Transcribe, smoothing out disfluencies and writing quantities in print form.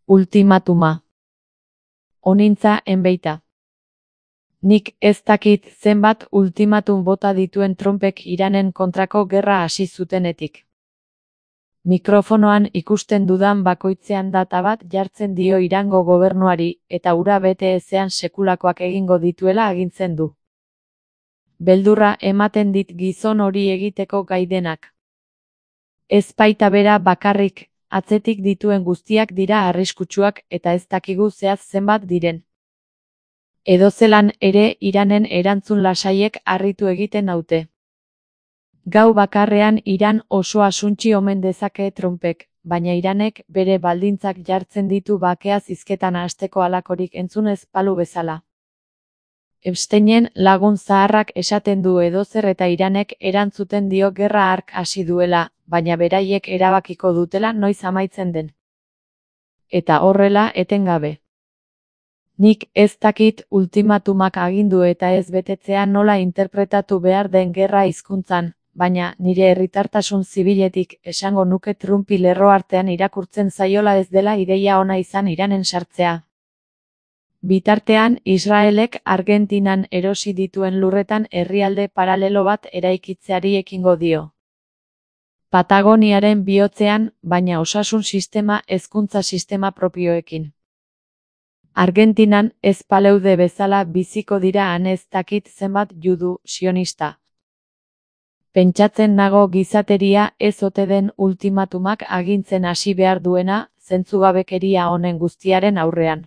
Ultimatuma. Onintza enbeita. Nik ez dakit zenbat ultimatum bota dituen Trumpek Iranen kontrako gerra hasi zutenetik. Mikrofonoan ikusten dudan bakoitzean data bat jartzen dio Irango gobernuari, eta hura bete ezean sekulakoak egingo dituela agintzen du. Beldurra ematen dit gizon hori egiteko gai denak. Ez baita bera bakarrik, atzetik dituen guztiak dira arriskutsuak eta ez dakigu zehaz zenbat diren. Edozelan ere Iranen erantzun lasaiek harritu egiten naute. Gau bakarrean Iran osoa suntsi omen dezake Trumpek, baina Iranek bere baldintzak jartzen ditu bakea zizketan hasteko halakorik entzun ez balu bezala. Epsteinen lagun zaharrak esaten du edozer eta Iranek erantzuten dio gerra hark hasi duela, baina beraiek erabakiko dutela noiz amaitzen den. Eta horrela etengabe. Nik ez dakit ultimatumak agindu eta ez betetzea nola interpretatu behar den gerra hizkuntzan, baina nire herritartasun zibiletik esango nuke Trumpi lerro artean irakurtzen zaiola ez dela ideia ona izan Iranen sartzea. Bitartean, Israelek Argentinan erosi dituen lurretan herrialde paralelo bat eraikitzeari ekingo dio. Patagoniaren bihotzean, baina osasun sistema hezkuntza sistema propioekin. Argentinan ez paleude bezala biziko dira han ez dakit zenbat judu sionista. Pentsatzen nago gizateria ez ote den ultimatumak agintzen hasi behar duena, zentzugabekeria honen guztiaren aurrean.